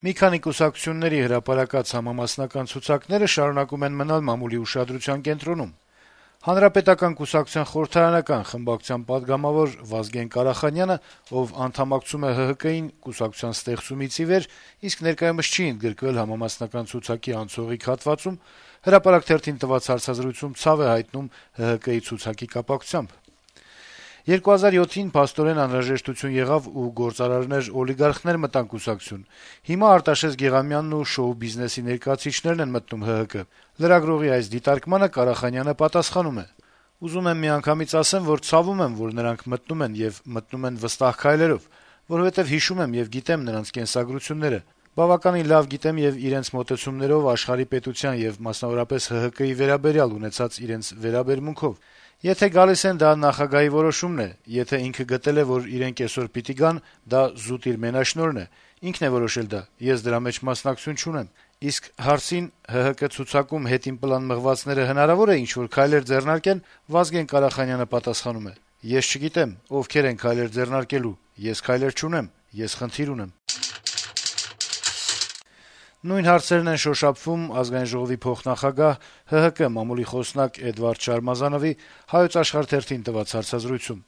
Մի քանի կուսակցությունների հրապարակած համամասնական ցուցակները շարունակում են մնալ մամուլի ուշադրության կենտրոնում: Հանրապետական կուսակցության խորհրդարանական խմբակցության պատգամավոր Վազգեն Կարախանյանը, ով անդամակցում է ՀՀԿ-ին կուսակցության ստեղծումից ի վեր, իսկ ներկայումս չի ընդգրկվել համամասնական ցուցակի անցողիկ հատվածում, «Հրապարակ» թերթին տված հարցազրույցում ցավ է հայտնում ՀՀԿ-ի ցուցակի կապակցությամբ: 2007-ին փաստորեն անհրաժեշտություն եղավ ու գործարարներ-օլիգարխներ մտան կուսակցություն: Հիմա Արտաշես Գեղամյանն ու շոու-բիզնեսի ներկայացուցիչներն են մտնում ՀՀԿ: Լրագրողի այս դիտարկմանը Կարախանյանը պատասխանում է. - «Ուզում եմ միանգամից ասեմ, որ ցավում եմ, որ նրանք մտնում են եւ մտնում են վստահ քայլերով, որովհետեւ հիշում եմ եւ գիտեմ նրանց կենսագրությունները: Բավականին լավ գիտեմ եւ իրենց մոտեցումներով աշխարհի պետության եւ մասնավորապես ՀՀԿ-ի վերաբերյալ ունեցած իրենց վերաբերմունքով: Եթե գալիս են, դա նախագահի որոշումն է, եթե ինքը գտել է, որ իրենք այսօր պիտի գան, դա զուտ իր մենաշնորհն է, ինքն է որոշել դա, ես դրա մեջ մասնակցություն չունեմ: Իսկ հարցին` ՀՀԿ ցուցակում հետին պլան մղվածները հնարավո՞ր է ինչ-որ քայլեր ձեռնարկեն, Վազգեն Կարախանյանը պատասխանում է. - «Ես չգիտեմ` ովքեր են քայլեր ձեռնարկելու: Ես քայլեր չունեմ, ես խնդիր ունեմ»: Նույն հարցերն են շոշափվում ԱԺ փոխնախագահ, ՀՀԿ մամուլի խոսնակ Էդվարդ Շարմազանովի «Հայոց Աշխարհ» թերթին տված հարցազրույցում: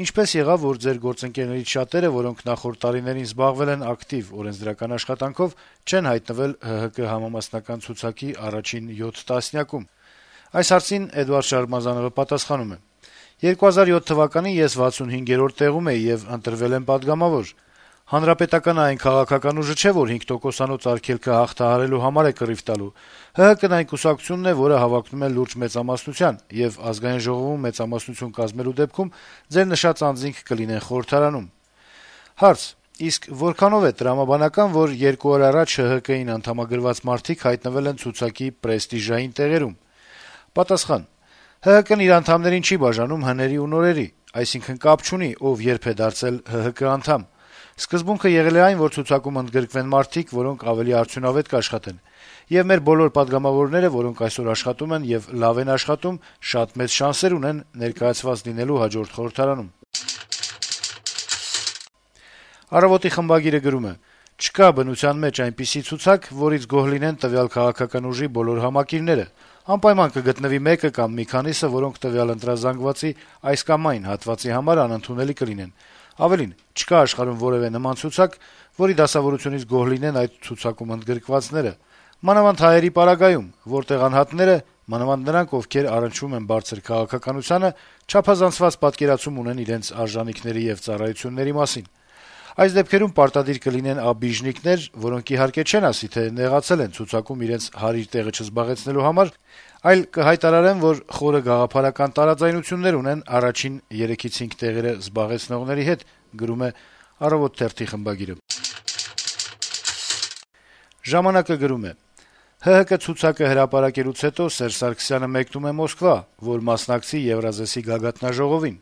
«Ինչպե՞ս եղավ, որ ձեր գործընկերներից շատերը, որոնք նախորդ տարիներին զբաղվել են ակտիվ օրենսդրական աշխատանքով, չեն հայտնվել ՀՀԿ համամասնական ցուցակի առաջին 7 տասնյակում»: Այս հարցին Էդվարդ Շարմազանովը պատասխանում է. - «2007 թվականին ես 65-րդ տեղում էի եւ ընտրվել եմ պատգամավոր: Հանրապետականը այն քաղաքական ուժը չէ, որ 5%-անոց արգելքը հաղթահարելու համար է կռիվ տալու: ՀՀԿ-ն այն կուսակցությունն է, որը հավակնում է լուրջ մեծամասնության, եւ ԱԺ-ում մեծամասնություն կազմելու դեպքում ձեր նշած անձինք կլինեն խորհրդարանում»: Հարց. - «Իսկ որքանով է տրամաբանական, որ 2 օր առաջ ՀՀԿ-ին անդամագրված մարդիկ հայտնվել են ցուցակի պրեստիժային տեղերում»: Պատասխան. - «ՀՀԿ-ն իր անդամներին չի բաժանում հների ու նորերի, այսինքն կապ չունի ով երբ է դարձել ՀՀԿ անդամ: Սկզբունքը եղել է այն, որ ցուցակում ընդգրկվեն մարդիկ, որոնք ավելի արդյունավետ կաշխատեն: Եվ մեր բոլոր պատգամավորները, որոնք այսօր աշխատում են եւ լավ են աշխատում, շատ մեծ շանսեր ունեն ներկայացված լինելու հաջորդ խորհրդարանում»: «Առավոտ»-ի խմբագիրը գրում է. - «Չկա բնության մեջ այնպիսի ցուցակ, որից գոհ լինեն տվյալ քաղաքական ուժի բոլոր համակիրները: Անպայման կգտնվի մեկը կամ մի քանիսը, որոնք տվյալ ընտրազանգվածի այս կամ այն հատվածի համար անընդունելի կլինեն: Ավելին, չկա աշխարհում որեւէ նման ցուցակ, որի դասավորությունից գոհ լինեն այդ ցուցակում ընդգրկվածները: Մանավանդ հայերի պարագայում, որտեղ անհատները, մանավանդ նրանք, ովքեր առնչվում են բարձր քաղաքականությանը, չափազանցված պատկերացում ունեն իրենց արժանիքների եւ ծառայությունների մասին: Այս դեպքերում պարտադիր կլինեն աբիժնիկներ, որոնք իհարկե չեն ասի, թե նեղացել են ցուցակում իրենց հարիր տեղը չզբաղեցնելու համար, այլ կհայտարարեն, որ խորը գաղափարական տարաձայնություններ ունեն առաջին 3-5 տեղերը զբաղեցնողների հետ»: «Ժամանակ»-ը գրում է. - «ՀՀԿ ցուցակը հրապարակելուց հետո Սերժ Սարգսյանը մեկնում է Մոսկվա, որ մասնակցի Եվրազեսի գագաթնաժողովին: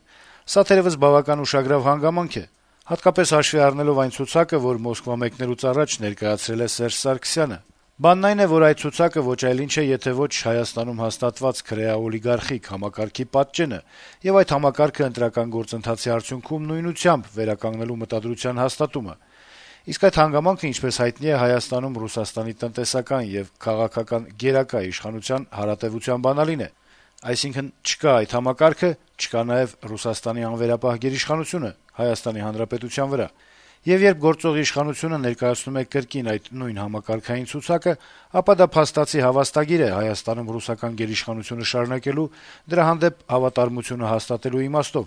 Սա թերեւս բավական ուշագրավ հանգամանք է, հատկապես հաշվի առնելով այն ցուցակը, որ Մոսկվա մեկնելուց առաջ ներկայացրել է Սերժ Սարգսյանը: Բանն այն է, որ այդ ցուցակը ոչ այլ ինչ է, եթե ոչ Հայաստանում հաստատված քրեա-օլիգարխիկ համակարգի պատճենը եւ այդ համակարգը ընտրական գործընթացի արդյունքում նույնությամբ վերականգնելու մտադրության հաստատումը: Իսկ այդ հանգամանքը, ինչպես հայտնի է, Հայաստանում Ռուսաստանի տնտեսական եւ քաղաքական գերակա իշխանության հարատեւության բանալին է: Այսինքն, չկա այդ համակարգը, չկա նաեւ Ռուսաստանի անվերապահ գերիշխանությունը Հայաստանի Հանրապետության վրա: Եվ երբ գործող իշխանությունը ներկայացնում է կրկին այդ նույն համակարգային ցուցակը, ապա դա փաստացի հավաստագիր է Հայաստանում ռուսական գերիշխանությունը շարունակելու, դրա հանդեպ հավատարմությունը հաստատելու իմաստով: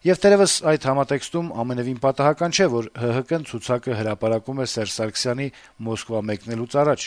Եվ թերեւս այդ համատեքստում ամենեւին պատահական չէ, որ ՀՀԿ-ն ցուցակը հրապարակում է Սերժ Սարգսյանի Մոսկվա մեկնելուց առաջ»: